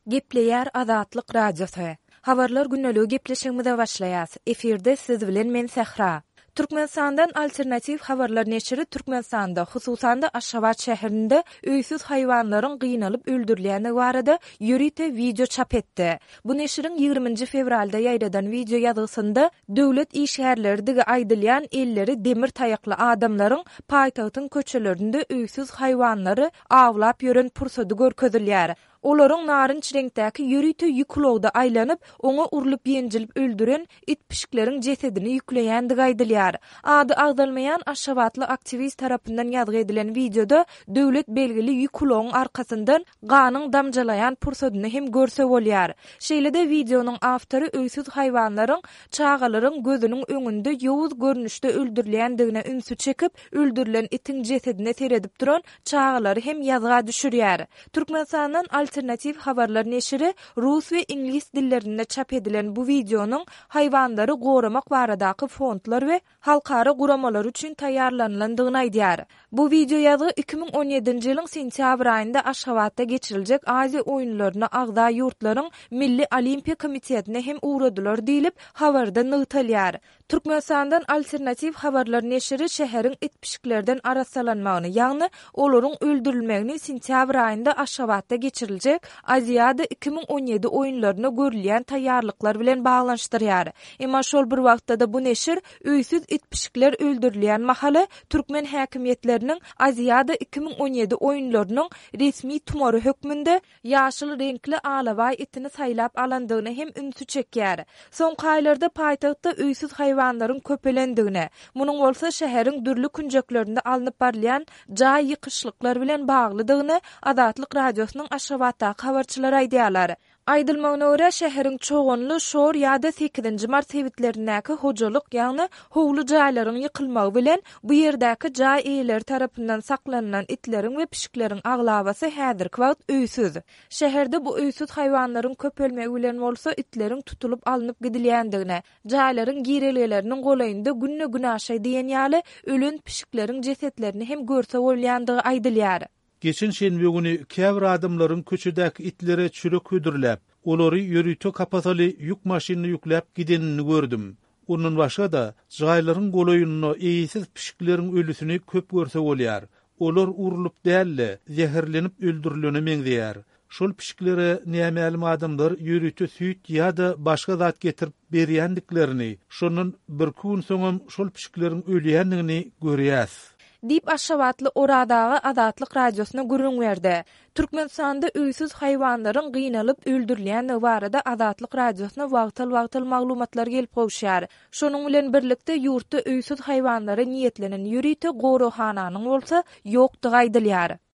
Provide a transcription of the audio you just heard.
Gepleýär Azatlyk Radiosy. Habarlar gündeligi gepleşigimize başlaýas. Efirde siz bilen men Sähra. Türkmenistandan Alternatiw habarlar neşiri Türkmenistanda, hususan-da Aşgabat şäherinde öýsüz haýwanlaryň gynalyp öldürilýändigi barada ýörite wideo çap etdi. Bu neşiriň ýigriminji fewralda ýaýradan wideo ýazgysynda döwlet işgärleridigi aýdylýan elleri demir taýakly adamlaryň paýtagtyň köçelerinde öýsüz haýwanlary awlap ýören pursady görkezilýär. Olaryň narynç reňkdäki ýörite ýük ulagda aýlanyp, oňa urlup-ýenjilip öldüren it-pişikleriň jesedini ýükleýändigi aýdylýar. Ady agzalmaýan aşgabatly aktiwist tarapyndan ýazgy edilen wideoda döwlet belgili ýük ulagyň arkasyndan ganyň damjalaýan pursadyny hem görse bolýar. Şeýle-de wideonyň awtory öýsüz haýwanlaryň çagalaryň gözüniň öňünde ýowuz görnüşde öldürilýändigine ünsi çekip, öldürilen itiň jesedine seredip duran çagalary hem ýazga düşürýär. Türkmenistandan Alternatiw habarlar neşiri rus we iňlis dillerinde çap edilen bu wideonyň haýwanlary goramak baradaky fondlar we halkara guramalary üçin taýýarlanylandygyny aýdýar. Bu wideoýazgy 2017-nji ýylyň sentýabr aýynda Aşgabatda geçiriljek Aziýa oýunlaryna agza ýurtlaryň Milli olimpiýa komitetine hem ugradylar diýlip, habarda nygtalýar. Türkmenistandan Alternatiw habarlar neşiri şäheriň it-pişiklerden arassalanmagyny, ýagny olaryň öldürilmegini sentýabr aýynda Aşgabatda geçiriljek Aziada 2017 oýunlaryna görülýän taýýarlyklar bilen baglanyşdyrýar. Emma şol bir wagtda-da bu neşir öýsüz it-pişikler öldürilýän mahaly türkmen häkimiýetleriniň Aziada 2017 oýunlarynyň resmi tumary hökmünde ýaşyl reňkli alabaý itini saýlap alandygyna hem ünsi çekýär. Soňky aýlarda paýtagtda öýsüz haýwanlaryň köpelendigini, munuň bolsa şäheriň dürli künjeklerinde alnyp barylýan jaý ýykyşlyklar bilen baglydygyny Azatlyk Radiosynyň Aşgabatdaky habarçylary aýdýarlar. Aýdylmagyna görä, şäheriň Çoganly, Şor ýa-da Sekizinji mart sebitlerindäki hojalyk, ýagny howly jaýlaryň ýykylmagy bilen, bu ýerdäki jaý eýeleri tarapyndan saklanylan itleriň we pişikleriň aglabasy häzirki wagt öýsüz. Şäherde bu öýsüz haýwanlaryň köpelmegi bilen bolsa itleriň tutulyp alnyp gidilýändigini, jaýlaryň girelgeleriniň golaýynda günde-günaşa diýen ýaly ölen pişikleriň jesetlerini hem görse bolýandygy aýdylýar. Geçen şenbe güni käbir adamlaryň köçedäki itlere çörek hödürläp, olary ýörite kapasaly ýük maşynyna ýükläp gidenini gördüm. Ondan başga-da, jaýlaryň golaýynda eýesiz pişikleriň ölüsini köp görse bolýar. Olar urlup däl-de, zäherlenip öldürilene meňzeýär. Şol pişiklere nämälim adamlar ýörite süýt ýa-da başga zat getirip berýändiklerini, şondan birki gün soňam şol pişikleriň ölýändigini görýäs. Diýip, aşgabatly Oraz aga Azatlyk Radiosyna gürrüň berdi. Türkmenistanda öýsüz haýwanlaryň gynalyp öldürilýändigi barada Azatlyk Radiosyna wagtal-wagtal maglumatlar gelip gowuşýar. Şonuň bilen birlikde, ýurtda öýsüz haýwanlara niýetlenen ýörite goraghananyň bolsa ýokdugy aýdylýar.